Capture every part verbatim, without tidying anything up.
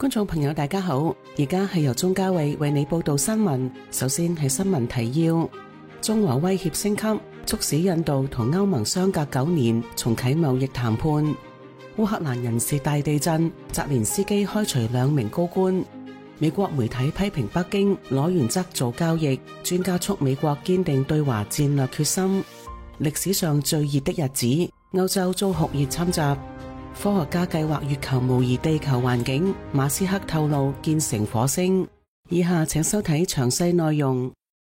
觀眾朋友大家好，而家係由鍾嘉慧為你報道新聞。首先係新聞提要：中俄威脅升級，促使印度同歐盟相隔九年重啟貿易談判。烏克蘭人事大地震，澤連斯基開除兩名高官。美國媒體批評北京攞原則做交易，專家促美國堅定對華戰略決心。歷史上最熱的日子，歐洲遭酷熱侵襲。科學家計劃月球模擬地球環境，馬斯克透露建成火星。以下請收睇詳細內容。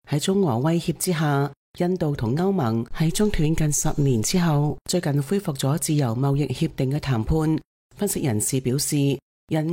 喺中俄威脅之下，印度同歐盟喺中斷近十年之後，最近恢復咗自由貿易協定嘅談判。分析人士表示，印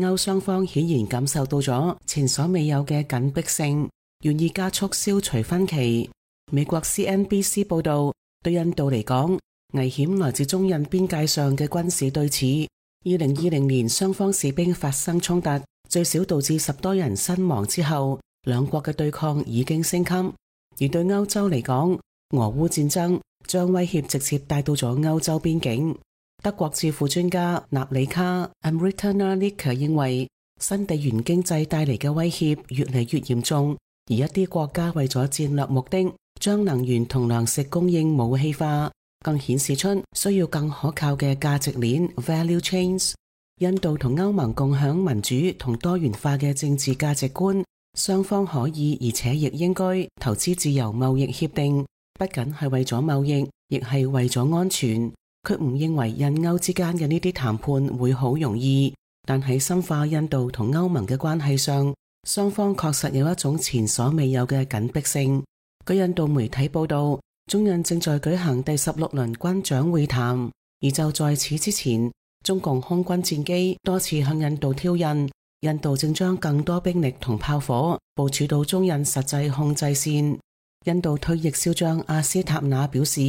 歐雙方顯然感受到咗前所未有嘅緊迫性，願意加速消除分歧。美國 C N B C 報道，對印度嚟講，危險來自中印邊界上嘅軍事對峙。二零二零年雙方士兵發生衝突，最少導致十多人身亡之後，兩國嘅對抗已經升級。而對歐洲嚟講，俄烏戰爭將威脅直接帶到咗歐洲邊境。德國智庫專家納里卡 Amrita Nalika 認為，新地緣經濟帶嚟嘅威脅越嚟越嚴重，而一啲國家為咗戰略目的，將能源同糧食供應武器化，更顯示出需要更可靠嘅價值鏈 value chains。印度同歐盟共享民主同多元化嘅政治價值觀，雙方可以而且亦應該投資自由貿易協定，不僅係為咗貿易，亦係為咗安全。佢唔認為印歐之間嘅呢啲談判會好容易，但喺深化印度同歐盟嘅關係上，雙方確實有一種前所未有嘅緊迫性。據印度媒體報道，中印正在舉行第十六輪軍長會談，而就在此之前，中共空軍戰機多次向印度挑釁，印度正將更多兵力同炮火部署到中印實際控制線。印度退役少將阿斯塔納表示，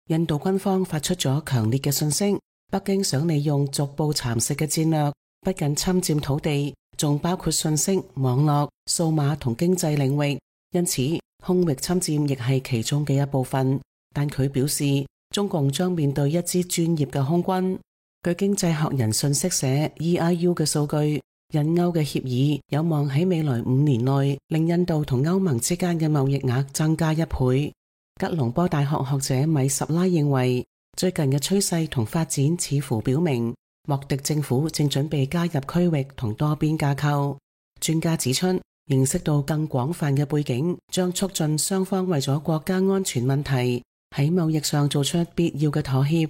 印度軍方發出咗強烈嘅訊息，北京想利用逐步蠶食嘅戰略，不僅侵佔土地，仲包括信息、網絡、數碼同經濟領域，因此空域侵佔亦係其中嘅一部分。但佢表示，中共將面對一支專業嘅空軍。據經濟學人信息社 E I U 嘅數據，印歐嘅協議有望喺未來五年內令印度同歐盟之間嘅貿易額增加一倍。吉隆坡大學學者米什拉認為，最近嘅趨勢同發展似乎表明，莫迪政府正準備加入區域同多邊架構。專家指出，認識到更廣泛嘅背景，將促進雙方為咗國家安全問題喺貿易上做出必要嘅妥協。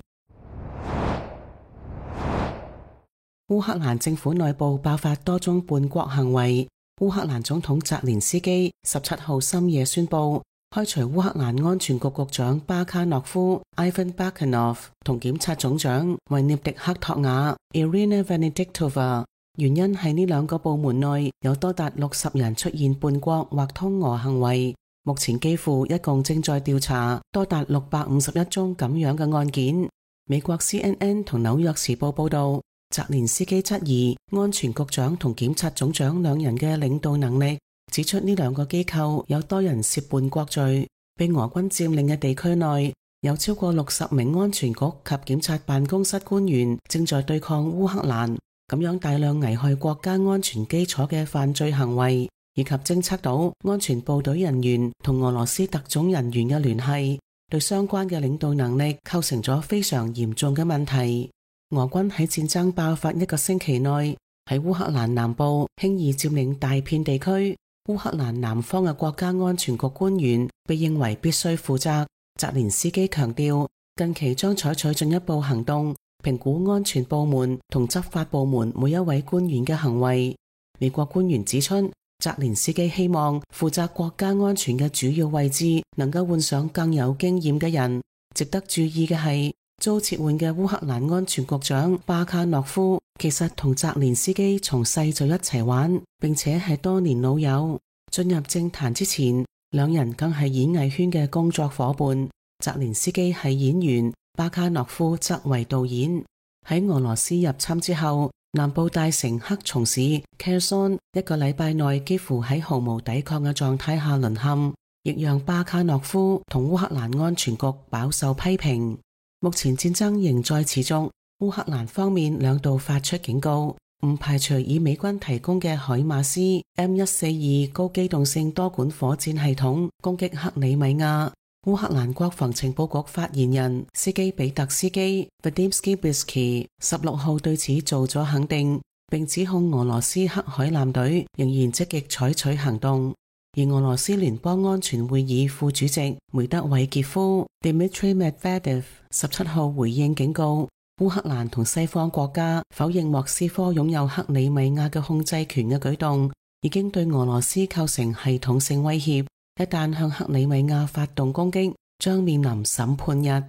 烏克蘭政府內部爆發多宗叛國行為，烏克蘭總統澤連斯基十七號深夜宣布開除烏克蘭安全局局長巴卡諾夫 Ivan Bakanov 同檢察總長維涅迪克托瓦 Irina Venediktova， 原因係呢兩個部門內有多達六十人出現叛國或通俄行為。目前基輔一共正在調查多達六百五十一宗咁樣嘅案件。美國 C N N 同紐約時報報道，澤連斯基質疑安全局長同檢察總長兩人嘅領導能力，指出呢兩個機構有多人涉叛國罪。被俄軍佔領嘅地區內有超過六十名安全局及檢察辦公室官員正在對抗烏克蘭，咁樣大量危害國家安全基礎嘅犯罪行為，以及偵測到安全部隊人員同俄羅斯特種人員嘅聯繫，對相關嘅領導能力構成咗非常嚴重嘅問題。俄軍喺戰爭爆發一個星期內，喺烏克蘭南部輕易佔領大片地區。烏克蘭南方嘅國家安全局官員被認為必須負責。澤連斯基強調，近期將採取進一步行動，評估安全部門同執法部門每一位官員嘅行為。美國官員指出，澤連斯基希望負責國家安全嘅主要位置能夠換上更有經驗嘅人。值得注意嘅係，遭撤換嘅烏克蘭安全局長巴卡諾夫其實同澤連斯基從細就一齊玩，並且係多年老友。進入政壇之前，兩人更係演藝圈嘅工作夥伴。澤連斯基係演員，巴卡諾夫則為導演。喺俄羅斯入侵之後，南部大城克松市 Kherson 一個禮拜內幾乎喺毫無抵抗嘅狀態下淪陷，亦讓巴卡諾夫同烏克蘭安全局飽受批評。目前戰爭仍在持續，烏克蘭方面兩度發出警告，唔排除以美軍提供嘅海馬斯 M 一四二 高機動性多管火箭系統攻擊克里米亞。烏克蘭國防情報局發言人斯基比特斯基 Vadymsky Bisky 十六號對此做咗肯定，並指控俄羅斯黑海艦隊仍然積極採取行動。而俄羅斯聯邦安全會議副主席梅德韋傑夫 Dmitry Medvedev 十七號回應警告，烏克蘭同西方國家否認莫斯科擁有克里米亞嘅控制權嘅舉動，已經對俄羅斯構成系統性威脅。一旦向克里米亞發動攻擊，將面臨審判日。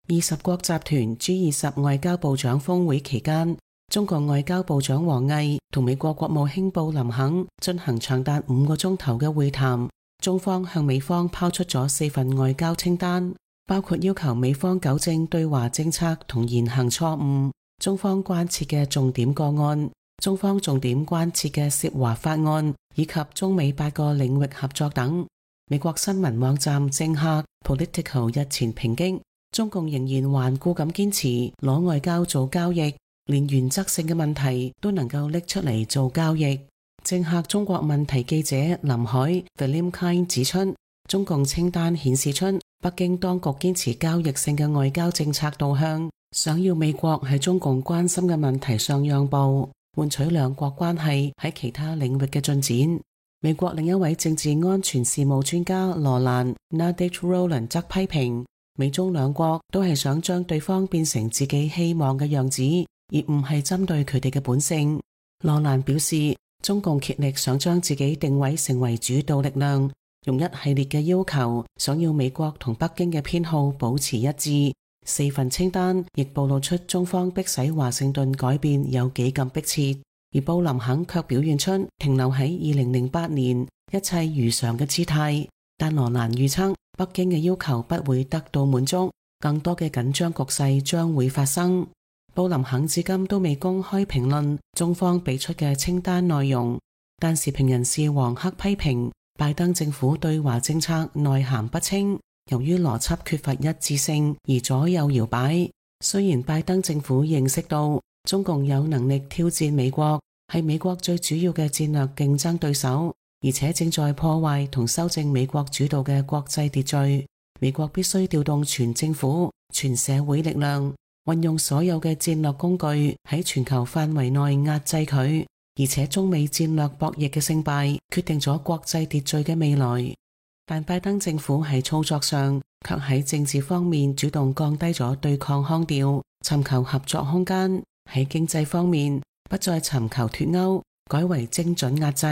二十國集團 G 二十外交部長峰會期間，中國外交部長王毅同美國國務卿布林肯進行長達五個鐘頭嘅會談。中方向美方拋出咗四份外交清單，包括要求美方糾正對華政策同言行錯誤，中方關切嘅重點個案，中方重點關切嘅涉華法案，以及中美八個領域合作等。美國新聞網站政客 Political 日前抨擊，中共仍然頑固咁堅持攞外交做交易，連原則性嘅問題都能夠拎出嚟做交易。政客中國問題記者林海 William Kind 指出，中共清單顯示出北京當局堅持交易性嘅外交政策導向，想要美國喺中共關心嘅問題上讓步，換取兩國關係喺其他領域嘅進展。美國另一位政治安全事務專家羅蘭 Nadich Rowland 則批評，美中兩國都係想將對方變成自己希望嘅樣子，而唔係針對佢哋嘅本性。羅蘭表示，中共竭力想將自己定位成為主導力量，用一系列嘅要求，想要美國同北京嘅偏好保持一致。四份清單亦暴露出中方迫使華盛頓改變有幾咁迫切，而布林肯卻表現出停留喺二零零八年一切如常嘅姿態。但羅蘭預測，北京嘅要求不會得到滿足，更多嘅緊張局勢將會發生。布林肯至今都未公開評論中方俾出嘅清單內容，但時評人士黃克批評拜登政府對華政策內涵不清，由於邏輯缺乏一致性而左右搖擺。雖然拜登政府認識到中共有能力挑戰美國，係美國最主要嘅戰略競爭對手，而且正在破壞同修正美國主導嘅國際秩序，美國必須調動全政府、全社會力量，運用所有嘅戰略工具喺全球範圍內壓制佢。而且中美戰略博弈嘅勝敗決定咗國際秩序嘅未來。但拜登政府喺操作上卻喺政治方面主動降低咗對抗腔調，尋求合作空間；喺經濟方面不再尋求脫鈎，改為精準壓制；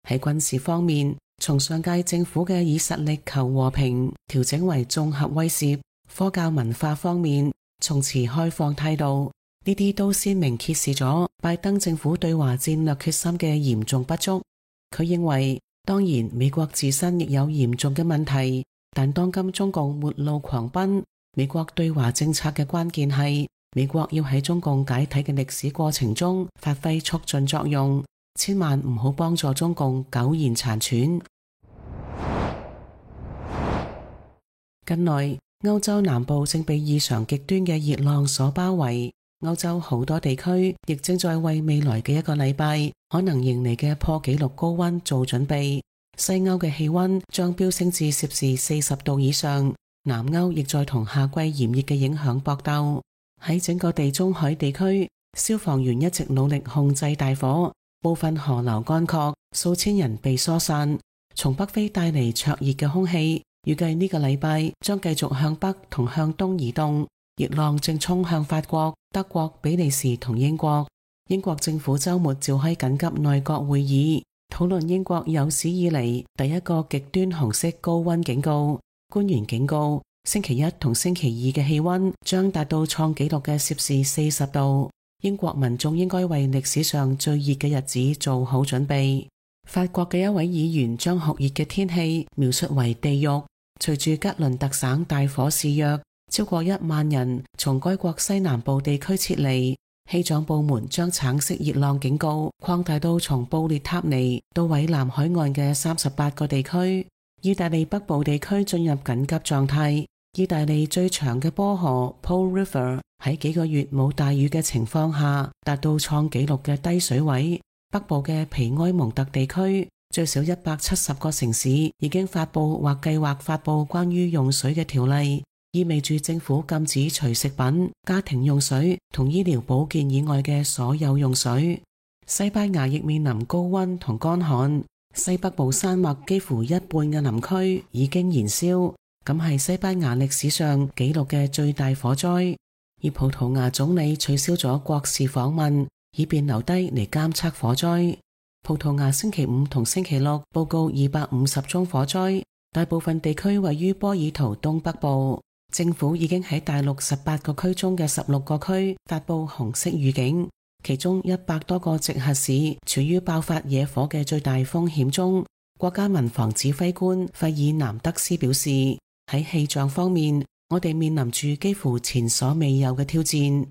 喺軍事方面從上屆政府嘅以實力求和平調整為綜合威懾；科教文化方面從持開放態度。呢啲都鮮明揭示咗拜登政府對華戰略決心嘅嚴重不足。佢認為，當然美國自身亦有嚴重嘅問題，但當今中共末路狂奔，美國對華政策嘅關鍵係美國要喺中共解體嘅歷史過程中發揮促進作用，千萬唔好幫助中共苟延殘喘。近來歐洲南部正被異常極端嘅熱浪所包圍。歐洲好多地區亦正在為未來嘅一個禮拜可能迎嚟嘅破紀錄高溫做準備。西歐嘅氣溫將飆升至攝氏四十度以上，南歐亦在同夏季炎熱嘅影響搏鬥。喺整個地中海地區，消防員一直努力控制大火，部分河流乾涸，數千人被疏散。從北非帶嚟灼熱嘅空氣，預計呢個禮拜將繼續向北同向東移動。熱浪正衝向法國、德國、比利時同英國。英國政府周末召開緊急內閣會議，討論英國有史以嚟第一個極端紅色高溫警告。官員警告，星期一同星期二嘅氣溫將達到創紀錄嘅攝氏四十度。英國民眾應該為歷史上最熱嘅日子做好準備。法國嘅一位議員將酷熱嘅天氣描述為地獄。隨住吉倫特省大火肆虐，超過一萬人從該國西南部地區撤離，氣象部門將橙色熱浪警告擴大到從布列塔尼到蔚藍海岸嘅三十八個地區。意大利北部地區進入緊急狀態，意大利最長嘅波河 Po River 喺幾個月冇大雨嘅情況下，達到創紀錄嘅低水位。北部嘅皮埃蒙特地區最少一百七十個城市已經發布或計劃發布關於用水嘅條例，意味住政府禁止除食品、家庭用水同醫療保健以外嘅所有用水。西班牙亦面臨高溫同乾旱，西北部山脈幾乎一半嘅林區已經燃燒，咁係西班牙歷史上紀錄嘅最大火災。而葡萄牙總理取消咗國事訪問，以便留低嚟監測火災。葡萄牙星期五同星期六報告二百五十宗火災，大部分地區位於波爾圖東北部。政府已經喺大陸十八個區中嘅十六個區發布紅色預警，其中一百多個直轄市處於爆發野火嘅最大風險中。國家民防指揮官費爾南德斯表示，喺氣象方面，我哋面臨住幾乎前所未有嘅挑戰。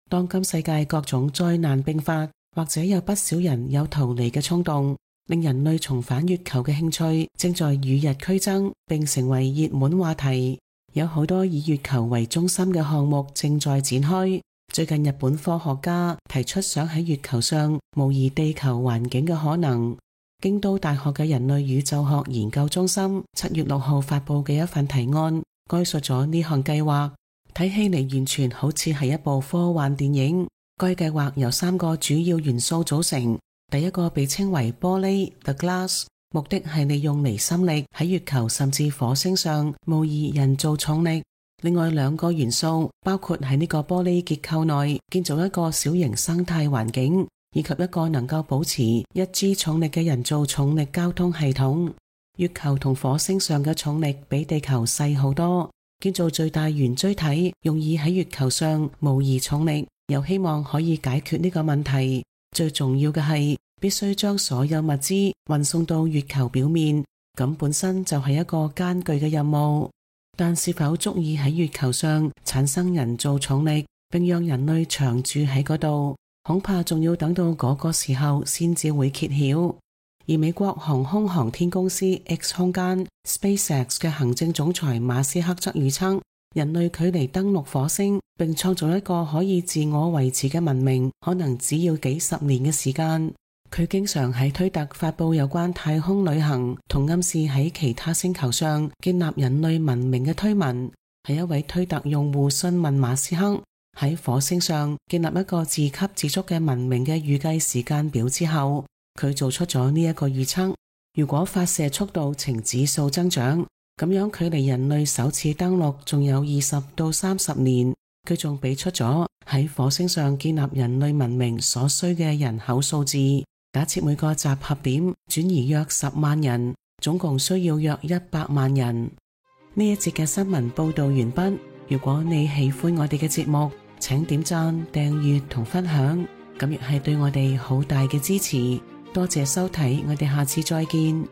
當今世界各種災難並發，或者有不少人有逃離嘅衝動，令人類重返月球嘅興趣正在與日俱增，並成為熱門話題。有好多以月球為中心嘅項目正在展開。最近日本科學家提出想喺月球上模擬地球環境嘅可能。京都大學嘅人類宇宙學研究中心七月六號發佈嘅一份提案，概述咗呢項計劃。睇起嚟完全好似係一部科幻電影。該計劃由三個主要元素組成，第一個被稱為玻璃 The Glass， 目的係利用離心力喺月球甚至火星上模擬人造重力。另外兩個元素包括喺呢個玻璃結構內建造一個小型生態環境，以及一個能夠保持一 G 重力嘅人造重力交通系統。月球同火星上嘅重力比地球細好多。建造最大圓錐體，用以喺月球上模擬重力，又希望可以解決呢個問題。最重要嘅係，必須將所有物資運送到月球表面，咁本身就係一個艱巨嘅任務。但是否足以喺月球上產生人造重力，並讓人類長住喺嗰度，恐怕仲要等到嗰個時候先至會揭曉。而美國航空航天公司 X 空間 SpaceX 嘅行政總裁馬斯克則預測，人類距離登陸火星並創造一個可以自我維持嘅文明，可能只要幾十年嘅時間。佢經常喺推特發布有關太空旅行同暗示喺其他星球上建立人類文明嘅推文。係一位推特用戶詢問馬斯克喺火星上建立一個自給自足嘅文明嘅預計時間表之後，佢做出咗呢一個預測。如果發射速度呈指數增長，咁樣距離人類首次登陸仲有二十到三十年。佢仲俾出咗喺火星上建立人類文明所需嘅人口數字，假設每個集合點轉移約十萬人，總共需要約一百萬人。呢一節嘅新聞報道完畢。如果你喜歡我哋嘅節目，請點讚、訂閱同分享，咁亦係對我哋好大嘅支持。多謝收睇，我哋下次再見。